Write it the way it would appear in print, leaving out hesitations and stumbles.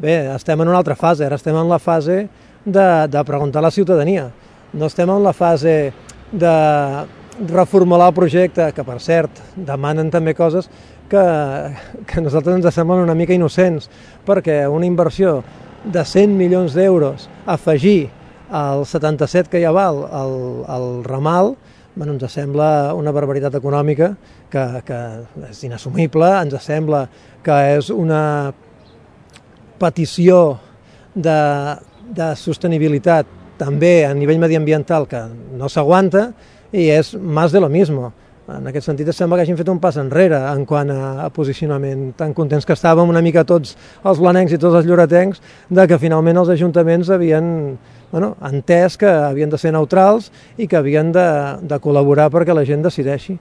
Bé, estem en una altra fase, ara estem en la fase de preguntar a la ciutadania. No estem en la fase de reformular el projecte, que per cert demanen també coses que a nosaltres ens semblen una mica innocents, perquè una inversió de 100 milions d'euros afegir al 77 que ja val el ramal, bueno, ens sembla una barbaritat econòmica que és inassumible, ens sembla que és una petició de sostenibilitat també a nivell mediambiental que no s'aguanta i és més de lo mismo. En aquest sentit, sembla que hagin fet un pas enrere en quant a posicionament. Tan contents que estàvem una mica tots els blanencs i tots els lloretencs de que finalment els ajuntaments havien entès que havien de ser neutrals i que havien de col·laborar perquè la gent decideixi.